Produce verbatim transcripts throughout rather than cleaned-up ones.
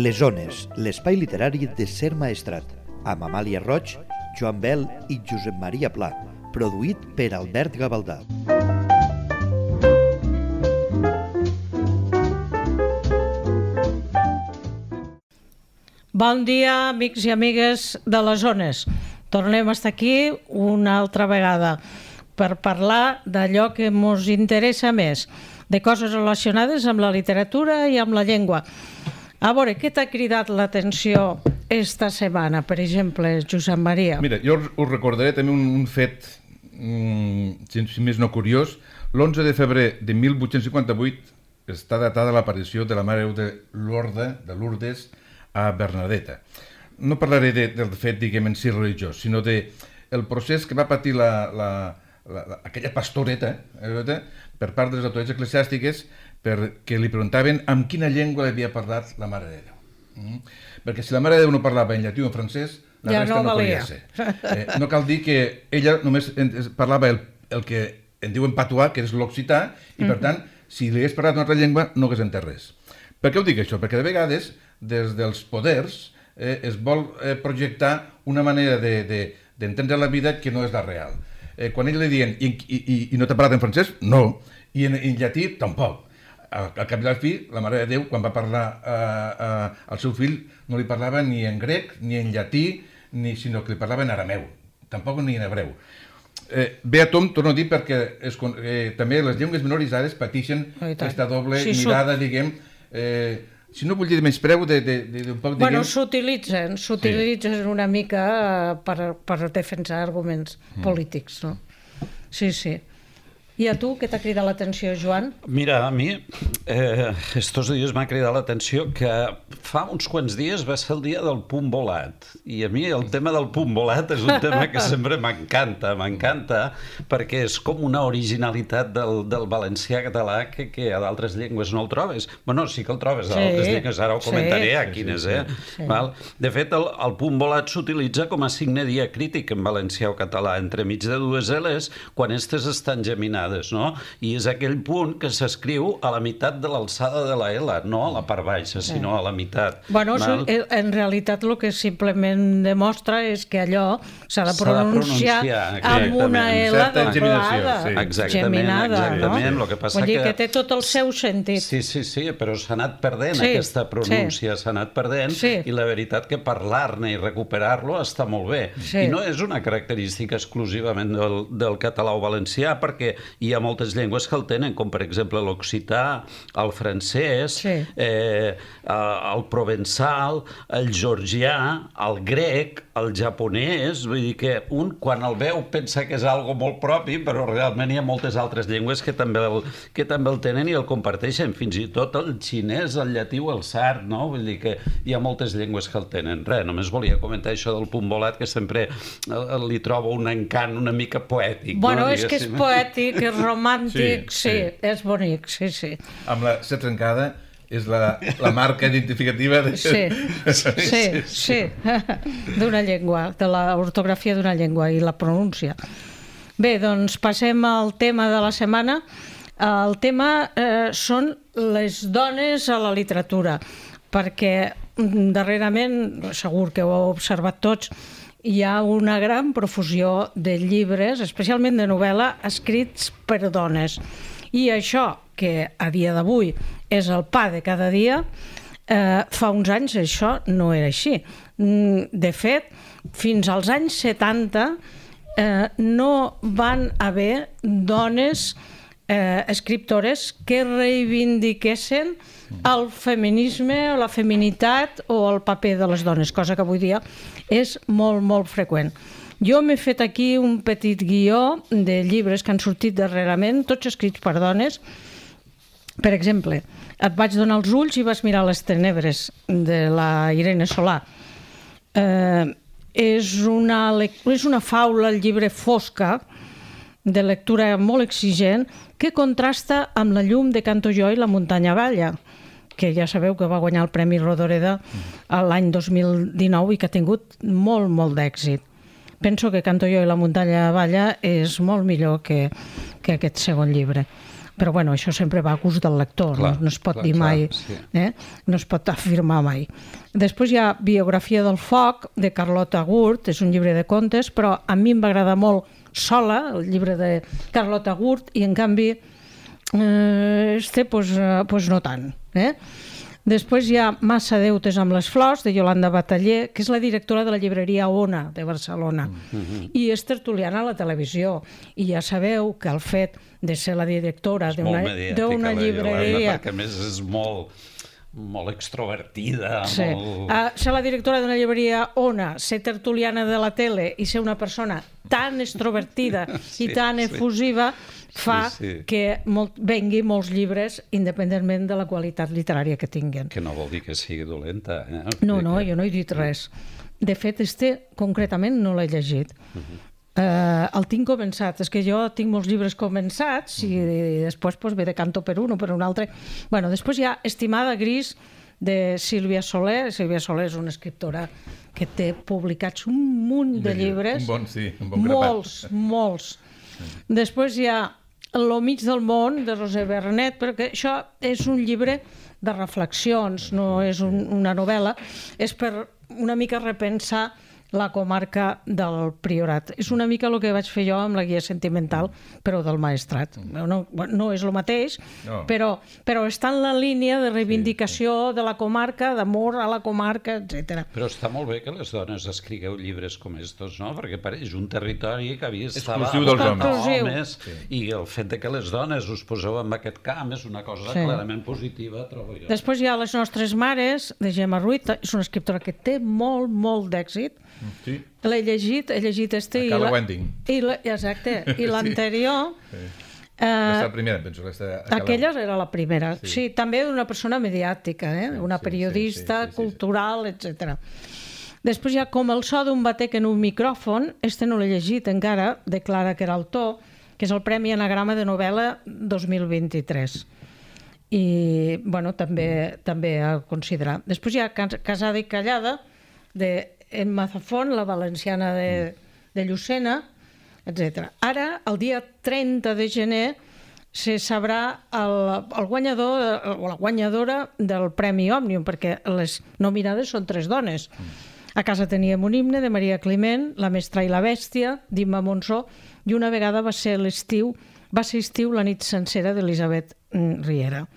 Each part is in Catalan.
Les Ones, l'espai literari de Ser Maestrat, amb Amàlia Roig, Joan Bel i Josep Maria Pla, produït per Albert Gavaldà. Bon dia, amics i amigues de les Ones. Tornem a estar aquí una altra vegada per parlar d'allò que ens interessa més, de coses relacionades amb la literatura i amb la llengua. A veure, què t'ha cridat l'atenció esta setmana, per exemple, Josep Maria? Mira, jo us recordaré també un, un fet, mm, si més no curiós. L'onze de febrer de mil vuit-cents cinquanta-vuit està datada l'aparició de la Mare de Lourdes, de Lourdes a Bernadetta. No parlaré de, del fet, diguem, en si religiós, sinó de el procés que va patir la, la, la, la, aquella pastoreta eh, per part de les autoritats eclesiàstiques perquè li preguntaven amb quina llengua havia parlat la Mare de Déu. Mm? Perquè si la Mare de Déu no parlava en llatí o en francès, la ja resta no, no podia ser. Eh, no cal dir que ella només parlava el, el que en diuen patuà, que és l'occità, i per tant, si li hagués parlat una altra llengua, no hagués entès res. Per què ho dic això? Perquè de vegades, des dels poders, eh, es vol eh, projectar una manera d'entendre de, de, la vida que no és la real. Eh, quan ell li diuen, i, i, i no t'ha parlat en francès? No. I en, en llatí? Tampoc. Al, al cap i al fi, la Mare de Déu, quan va parlar eh, eh, al seu fill, no li parlava ni en grec, ni en llatí, ni, sinó que li parlava en arameu. Tampoc ni en hebreu. Eh, bé a tom, torno a dir, perquè es, eh, també les llengües minoritzades pateixen aquesta doble sí, mirada, so... diguem, eh, si no vull dir menyspreu, de, de, de, de un poc, diguem... Bueno, s'utilitzen, s'utilitzen sí. una mica per, per defensar arguments mm. polítics, no? Sí, sí. I a tu, què t'ha cridat l'atenció, Joan? Mira, a mi, eh, estos dies m'ha cridat l'atenció que fa uns quants dies va ser el dia del punt volat. I a mi el tema del punt volat és un tema que sempre m'encanta, m'encanta, perquè és com una originalitat del, del valencià català que, que a d'altres llengües no el trobes. Bueno, sí que el trobes a d'altres sí, llengües, ara ho comentaré sí, a quines, eh? Sí. Val? De fet, el, el punt volat s'utilitza com a signe diacrític en valencià o català, entremig de dues L's, quan estes estan geminades. No? I és aquell punt que s'escriu a la meitat de l'alçada de la L, no a la part baixa, sinó a la meitat. Bueno, Val? En realitat el que simplement demostra és que allò s'ha de pronunciar, de pronunciar amb una L doblada, sí. Exactament, geminada, exactament. No? Lo que passa Vull dir que... que té tot el seu sentit. Sí, sí, sí, però s'ha anat perdent sí, aquesta pronúncia, s'ha sí. anat perdent sí. i la veritat que parlar-ne i recuperar-lo està molt bé. Sí. I no és una característica exclusivament del, del català o valencià, perquè hi ha moltes llengües que el tenen, com per exemple l'occità, el francès, sí. eh, el provençal, el georgià, el grec, el japonès, vull dir que un quan el veu pensa que és algo molt propi, però realment hi ha moltes altres llengües que també el, que també el tenen i el comparteixen, fins i tot el xinès, el llatí o el sard, no? Vull dir que hi ha moltes llengües que el tenen. Res, només volia comentar això del punt volat, que sempre li trobo un encant una mica poètic. Bueno, no? és que és poètic, és romàntic, sí, sí, sí, és bonic, sí, sí. Amb la C trencada és la, la marca identificativa de... Sí, sí, sí, sí. d'una llengua, de l'ortografia d'una llengua i la pronúncia. Bé, doncs passem al tema de la setmana. El tema eh, són les dones a la literatura, perquè darrerament, segur que ho heu observat tots, hi ha una gran profusió de llibres, especialment de novel·la, escrits per dones. I això, que a dia d'avui és el pa de cada dia, eh, fa uns anys això no era així. De fet, fins als anys setanta eh, no van haver dones eh, escriptores que reivindiquessin el feminisme, la feminitat o el paper de les dones, cosa que avui dia és molt, molt freqüent. Jo m'he fet aquí un petit guió de llibres que han sortit darrerament, tots escrits per dones. Per exemple, et vaig donar els ulls i vas mirar les tenebres, de la Irene Solà. Eh, és, una, és una faula, el llibre fosca, de lectura molt exigent, que contrasta amb la llum de Canto jo i la muntanya balla, que ja sabeu que va guanyar el Premi Rodoreda l'any dos mil dinou i que ha tingut molt, molt d'èxit. Penso que Canto jo i la muntanya balla és molt millor que, que aquest segon llibre. Però bueno, això sempre va a gust del lector, clar, no, no es pot clar, dir mai, clar, sí. eh? no es pot afirmar mai. Després hi ha Biografia del foc, de Carlota Gurt, és un llibre de contes, però a mi em va agradar molt sola, el llibre de Carlota Gurt, i en canvi eh, este pues, eh, pues no tant. Eh? Després hi ha Massa deutes amb les flors, de Yolanda Bataller, que és la directora de la llibreria Ona, de Barcelona, mm-hmm. i és tertuliana a la televisió. I ja sabeu que el fet de ser la directora d'una llibreria... Perquè a més és molt, molt extrovertida. Sí. Molt... Uh, ser la directora d'una llibreria Ona, ser tertuliana de la tele i ser una persona tan extrovertida sí, i tan efusiva... Sí. fa sí, sí. que molt, vengui molts llibres independentment de la qualitat literària que tinguen. Que no vol dir que sigui dolenta. Eh? No, no, jo no he dit res. De fet, este concretament no l'he llegit. Uh-huh. uh, el tinc començat. És que jo tinc molts llibres començats i, uh-huh. i després pues, ve de canto per un o per un altre. Bueno, després hi ha Estimada Gris, de Sílvia Soler. Sílvia Soler és una escriptora que té publicats un munt de llibres. Un bon, sí, un bon grapat. Molts, molts. Després hi ha Lo mig del món, de Roser Bernet, perquè això és un llibre de reflexions, no és un, una novel·la, és per una mica repensar la comarca del Priorat. És una mica el que vaig fer jo amb la guia sentimental, però del Maestrat. No, no és el mateix, no. però, però està en la línia de reivindicació sí, sí. de la comarca, d'amor a la comarca, etcètera. Però està molt bé que les dones escrigueu llibres com estos, no? Perquè pareix un territori que havia estat exclusiu dels homes. homes sí. i el fet de que les dones us poseu en aquest camp és una cosa sí. clarament positiva, trobo jo. Després hi ha Les nostres mares, de Gemma Ruiz, és una escriptora que té molt, molt d'èxit. Sí. L'he llegit, he llegit este... A Cala Wending. I la, exacte, i l'anterior... Sí. Eh, aquesta la primera, penso. Aquella era la primera. Sí, sí també d'una persona mediàtica, eh? una sí, periodista, sí, sí, sí, cultural, sí, sí. etcètera. Després hi ha Com el so d'un batec en un micròfon, este no l'he llegit encara, de Clara Queraltó, que és el Premi Anagrama de Novel·la dos mil vint-i-tres. I, bueno, també, també a considerar. Després hi ha Casada i callada, de Emma Zafón, la valenciana de, de Llucena, etcètera. Ara, el dia trenta de gener, se sabrà el, el guanyador o la guanyadora del Premi Òmnium, perquè les nominades són tres dones. A casa teníem un himne de Maria Climent, La mestra i la bèstia, d'Imma Monsó, i una vegada va ser l'estiu, va ser estiu la nit sencera d'Elisabet Riera.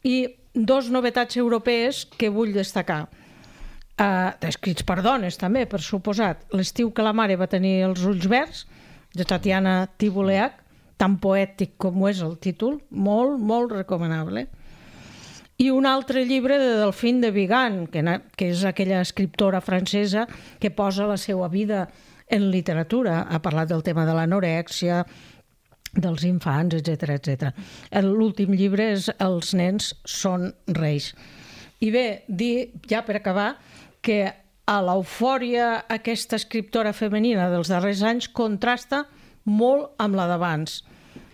I dos novetats europees que vull destacar. Uh, escrits per dones també, per suposat. L'estiu que la mare va tenir els ulls verds, de Tatiana Tibuleac, tan poètic com ho és el títol, molt, molt recomanable. I un altre llibre de Delphine de Vigan, que, que és aquella escriptora francesa que posa la seva vida en literatura. Ha parlat del tema de l'anorèxia, dels infants, etcètera, etcètera. L'últim llibre és Els nens són reis. I bé, dir, ja per acabar, que a l'eufòria aquesta escriptora femenina dels darrers anys contrasta molt amb la d'abans.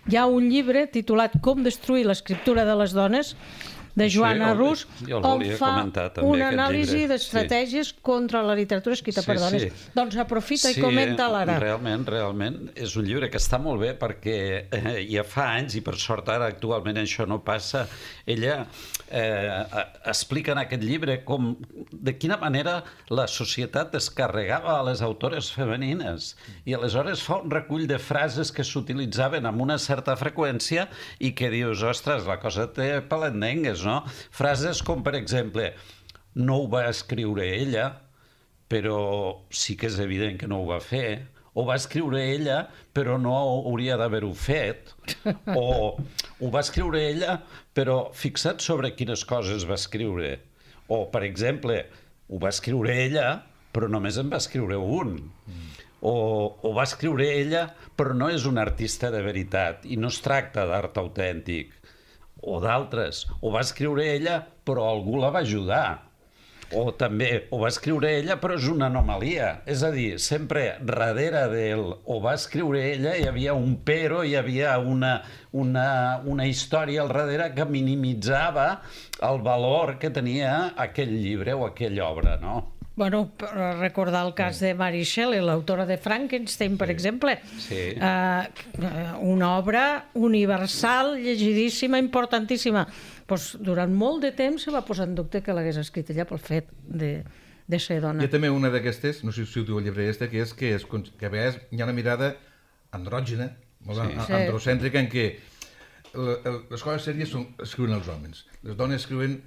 Hi ha un llibre titulat Com destruir l'escriptura de les dones, de Joana sí, Rus, on fa una anàlisi d'estratègies sí. contra la literatura escrita sí, per dones. Sí. Doncs aprofita sí, i comenta l'ara. Realment, realment, és un llibre que està molt bé perquè eh, ja fa anys, i per sort ara actualment això no passa, ella eh, explica en aquest llibre com, de quina manera la societat descarregava a les autores femenines i aleshores fa un recull de frases que s'utilitzaven amb una certa freqüència i que dius, ostres, la cosa té palendengues, no? Frases com, per exemple, no ho va escriure ella, però sí que és evident que no ho va fer, o va escriure ella, però no hauria d'haver-ho fet, o ho va escriure ella, però fixa't sobre quines coses va escriure. O, per exemple, ho va escriure ella, però només en va escriure un. O, o va escriure ella, però no és un artista de veritat, i no es tracta d'art autèntic. O d'altres, ho va escriure ella, però algú la va ajudar. O també, ho va escriure ella, però és una anomalia. És a dir, sempre darrere del ho va escriure ella hi havia un però, hi havia una, una, una història al darrere que minimitzava el valor que tenia aquell llibre o aquella obra, no? Bueno, recordar el cas de Mary Shelley, l'autora de Frankenstein, per exemple. Sí. Uh, una obra universal, llegidíssima, importantíssima. Pues, durant molt de temps se va posar en dubte que l'hagués escrit ella pel fet de, de ser dona. Hi ha també una d'aquestes, no sé si ho diu el llibre este, que és que, és, que a vegades hi ha una mirada andrògina, molt sí. androcèntrica, en què les coses sèries són, escriuen els homes, les dones escriuen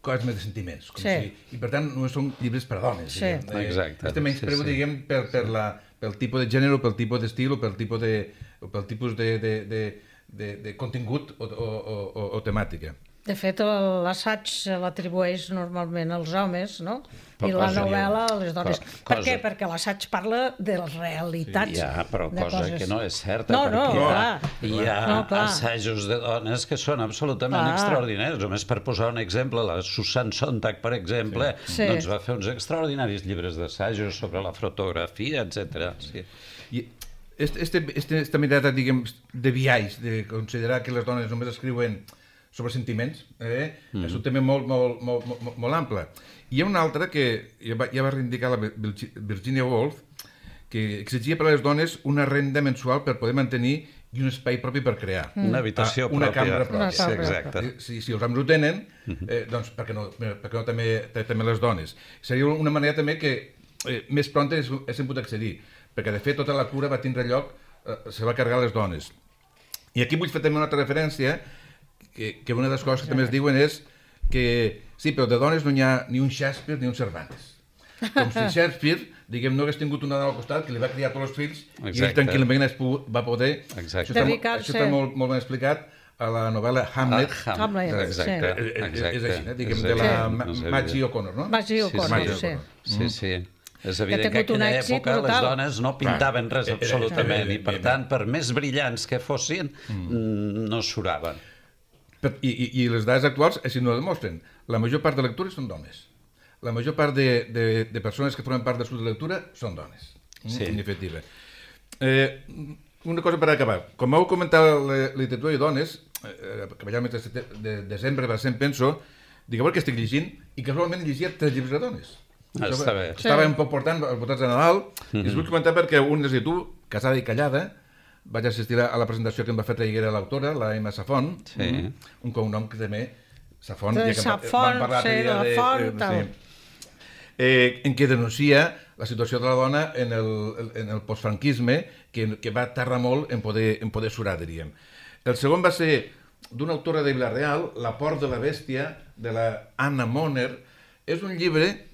coses més de sentiments, com sí. si, i per tant no són llibres per a dones. Sí. Eh, Exacte. Este menys preu, sí, sí. diguem, per, per la, pel tipus de gènere, pel tipus d'estil, o pel tipus de, o pel tipus de, de, de, de, de contingut o, o, o, o temàtica. De fet, l'assaig l'atribueix normalment als homes, no? I la novel·la a les dones. Cosa... Per què? Perquè l'assaig parla de les realitats. Sí, ja, però cosa coses... que no és certa, no, no, perquè clar. hi ha no, assajos de dones que són absolutament clar. extraordinaris. Només per posar un exemple, la Susan Sontag, per exemple, sí. doncs va fer uns extraordinaris llibres d'assajos sobre la fotografia, etcètera. Sí. I este, este, este, esta mirada, diguem, de biaix, de considerar que les dones només escriuen sobre sentiments, eh? Mm. és un tema molt, molt, molt, molt, molt ample. Hi ha una altra que ja va, ja va reivindicar la Virginia Woolf, que exigia per a les dones una renda mensual per poder mantenir i un espai propi per crear. Mm. Una habitació ah, una pròpia. Una cambra pròpia. Sí, exacte. Si, si els homes ho tenen, eh, doncs per què no, per què no també, també les dones? Seria una manera també que eh, més pront s'hi pot accedir, perquè de fet tota la cura va tindre lloc, eh, se va carregar les dones. I aquí vull fer també una altra referència, que, que una de les coses que també es diuen és que sí, però de dones no hi ha ni un Shakespeare ni un Cervantes. Com si Shakespeare, diguem, no hagués tingut una dona al costat que li va criar tots els fills Exacte. i ell tranquil·lament va poder... Exacte. Això està, això està molt, molt ben explicat a la novel·la Hamlet. Ah, Hamlet. Exacte. Sí. Exacte. És així, eh? diguem, de la sí. Maggie O'Connor, no? Maggie O'Connor, sí. Sí, sí. És evident que, que en aquella època les dones no pintaven res absolutament i, per tant, per més brillants que fossin, no suraven. I, i, I les dades actuals així no ho demostren. La major part de lectures són dones. La major part de, de, de persones que formen part del grup de lectura són dones. Sí. En definitiva. Eh, una cosa per acabar. Com heu comentat la literatura i dones, eh, que vaig al mes de, de desembre, per exemple, penso, digueu que estic llegint, i casualment llegia tres llibres de dones. Ah, està bé. Estava sí. un poc portant els votats de Nadal, mm-hmm. i us vull comentar perquè un és de tu, casada i callada, vaig assistir a la presentació que em va fer traiguera l'autora, la Emma Safon, sí. un cognom que també, Safon, ja que Safon, vam parlar sí, de, la font, de, de, sí, eh, en què denuncia la situació de la dona en el, en el postfranquisme, que, que va tardar molt en poder, en poder surar, diríem. El segon va ser d'una autora de Vila-real, La Port de la Bèstia, de la Anna Moner. És un llibre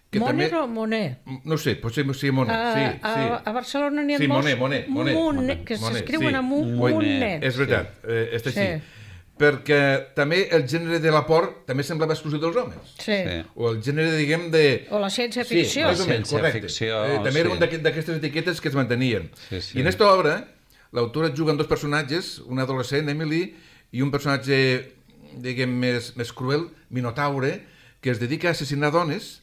que Moner també... o Moner? No sé, potser sí, Moner. A, sí, a, sí. a Barcelona n'hi ha sí, molts... Moner, Moner, Moner. Moner, que s'escriuen sí. amb un Moner. És veritat, sí. eh, és així. Sí. Perquè també el gènere de la por també semblava exclusiu dels homes. Sí. O el gènere, diguem, de... O la ciència-ficció. Sí, més o menys, correcte. Eh, també era sí. un d'aquestes etiquetes que es mantenien. Sí, sí. I en aquesta obra, l'autora juga amb dos personatges, un adolescent, Emily, i un personatge, diguem, més, més cruel, Minotaure, que es dedica a assassinar dones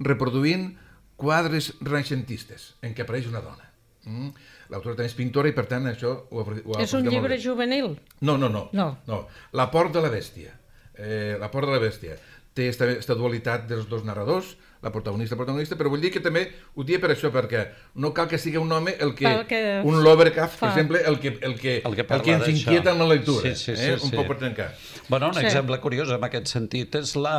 reproduint quadres renaixentistes en què apareix una dona. Mm? L'autora també és pintora i, per tant, això ho, ho És un llibre juvenil? No, no, no, no. no. La Port de la Bèstia. Eh, la Port de la Bèstia. Té aquesta dualitat dels dos narradors, la protagonista, la protagonista, però vull dir que també ho dia per això, perquè no cal que sigui un home el que, el que un Lovecraft, per exemple, el que, el que, el que, el que ens inquieta en la lectura. Sí, sí, sí, eh? Un sí. poc per trencar. Bueno, un sí. exemple curiós en aquest sentit és la...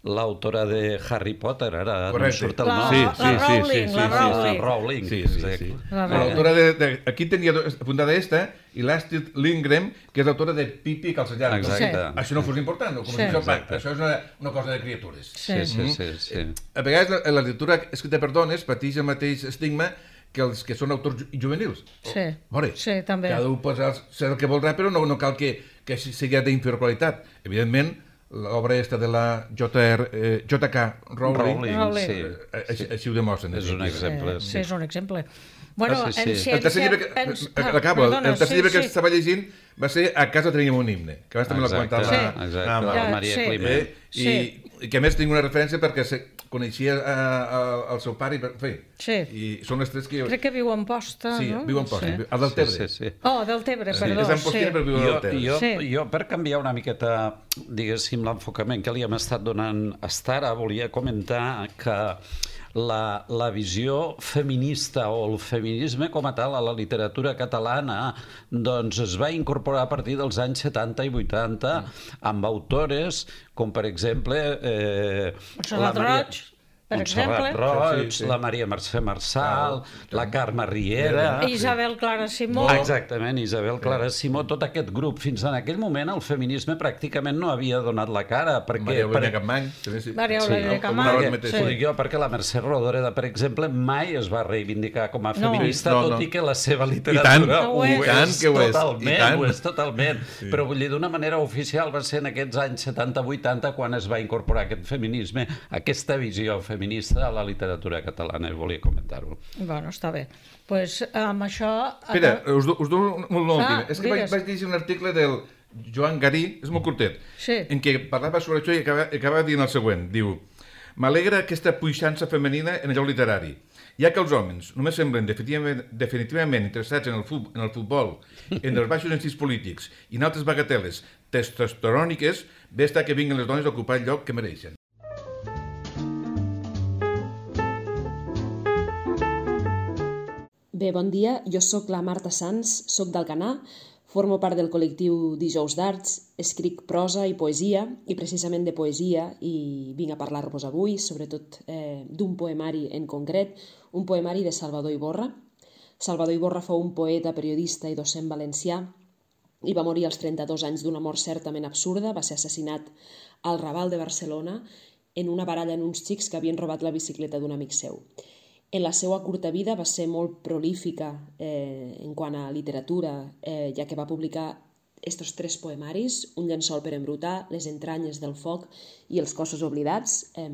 l'autora de Harry Potter, ara no surt el nom. Sí, sí, la Rowling, sí, la Rowling. La Rowling. Sí, sí, sí. L'autora de, de... Aquí tenia apuntada esta, i l'Astrid Lindgren, que és l'autora de Pipi i Calçallar. Exacte. Sí. Això no fos important, no? Com sí. això, això és una, una cosa de criatures. Sí, sí, sí. sí. A vegades la, la literatura escrita per dones pateix el mateix estigma que els que són autors juvenils. Sí, Veure, sí, també. Cada un pot ser el que voldrà, però no, no cal que, que sigui d'inferior qualitat. Evidentment, l'obra aquesta de la J K Rowling, Rowling sí. Així, així ho demostren. És un exemple. Sí, sí, és un exemple. Bueno, ah, sí, sí. en ciència... El tercer llibre que, ens... acabo, Perdona, el tercer sí, llibre que sí. estava llegint va ser A casa teníem un himne, que abans també l'ha comentat sí. la, Exacte, la, la Maria sí. Climent. Eh? I, sí. I que a més tinc una referència perquè se, coneixia el seu pare i són les tres que... Crec que viu a Amposta, no? Sí, viu a Amposta, a Deltebre. Oh, Deltebre, perdó. És Ampostina però viu a Deltebre. Jo, per canviar una miqueta, diguéssim, l'enfocament que li hem estat donant fins ara, volia comentar que La, la visió feminista o el feminisme com a tal a la literatura catalana doncs es va incorporar a partir dels anys setanta i vuitanta amb autores com per exemple eh, Montserrat Roig, per exemple, Roig, sí, sí. La Maria Mercè Marçal, ah, la Carme Riera, Isabel Clara Simó. Exactament, Isabel Clara Simó, tot aquest grup. Fins en aquell moment el feminisme pràcticament no havia donat la cara. Perquè, Maria Eulàlia Capmany. Maria Eulàlia Capmany. Sí. Ho dic jo perquè la Mercè Rodoreda, per exemple, mai es va reivindicar com a feminista, no, no, tot no. i que la seva literatura ho és totalment, ho és totalment. Sí. Però vull dir, d'una manera oficial va ser en aquests anys setanta vuitanta quan es va incorporar aquest feminisme, aquesta visió feminista a la literatura catalana, i volia comentar-ho. Bueno, està bé. Doncs pues, amb això... Espera, us, us dono un últim. Ah, és que vaig, vaig llegir un article del Joan Garí, és molt curtet, sí. en què parlava sobre això i acaba, acaba dient el següent. Diu, m'alegra aquesta puixança femenina en el lloc literari, ja que els homes només semblen definitivament, definitivament interessats en el, fu en el futbol, en els baixos instints polítics i en altres bagateles testosteròniques, bé està que vinguin les dones a ocupar el lloc que mereixen. Bé, bon dia. Jo sóc la Marta Sans, sóc d'Alcanar, formo part del col·lectiu Dijous d'Arts, escric prosa i poesia, i precisament de poesia, i vinc a parlar-vos avui, sobretot eh, d'un poemari en concret, un poemari de Salvador Iborra. Salvador Iborra fou un poeta, periodista i docent valencià, i va morir als trenta-dos anys d'una mort certament absurda. Va ser assassinat al Raval de Barcelona en una baralla en uns xics que havien robat la bicicleta d'un amic seu. En la seva curta vida va ser molt prolífica eh, en quant a literatura, eh, ja que va publicar estos tres poemaris, Un llençol per embrutar, Les entranyes del foc i Els cossos oblidats. Eh,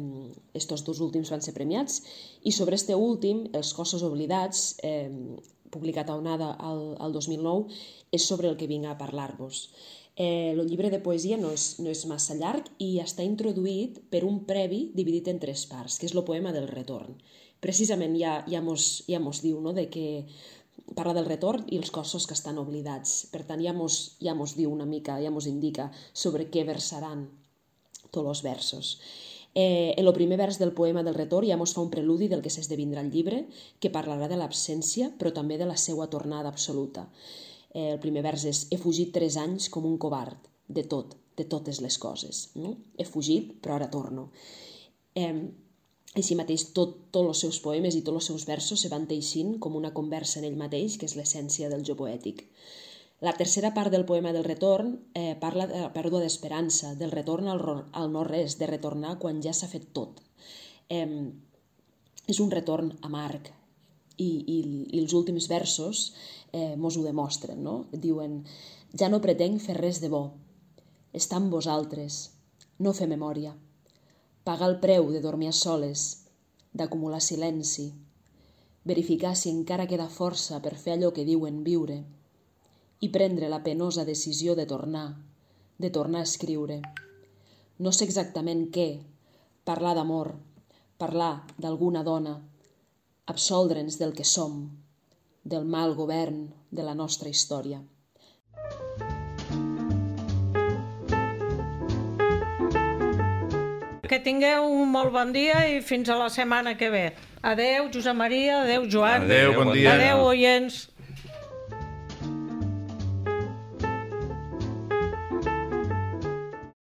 estos dos últims van ser premiats. I sobre este últim, Els cossos oblidats, eh, publicat a Onada al, al dos mil nou, és sobre el que vinc a parlar-vos. Eh, el llibre de poesia no és, no és massa llarg i està introduït per un previ dividit en tres parts, que és el poema del retorn. Precisament ja, ja, mos, ja mos diu, no?, de que parla del retorn i els cossos que estan oblidats. Per tant, ja mos, ja mos diu una mica, ja mos indica sobre què versaran tots els versos. Eh, en el primer vers del poema del retorn ja mos fa un preludi del que s'esdevindrà el llibre, que parlarà de l'absència, però també de la seva tornada absoluta. Eh, el primer vers és: he fugit tres anys com un covard, de tot, de totes les coses. No? He fugit, però ara torno. Eh, Així mateix, tots tot els seus poemes i tots els seus versos se van teixint com una conversa en ell mateix, que és l'essència del jo poètic. La tercera part del poema del retorn eh, parla de la pèrdua d'esperança, del retorn al, al no-res, de retornar quan ja s'ha fet tot. Eh, és un retorn amarg i, i, i els últims versos eh, mos ho demostren, no? Diuen: ja no pretenc fer res de bo, estar amb vosaltres, no fer memòria, pagar el preu de dormir a soles, d'acumular silenci, verificar si encara queda força per fer allò que diuen viure i prendre la penosa decisió de tornar, de tornar a escriure. No sé exactament què, parlar d'amor, parlar d'alguna dona, absoldre'ns del que som, del mal govern de la nostra història. Que tingueu un molt bon dia i fins a la setmana que ve. Adeu, Josep Maria, adeu, Joan. Adeu, bon dia. Adeu, oients.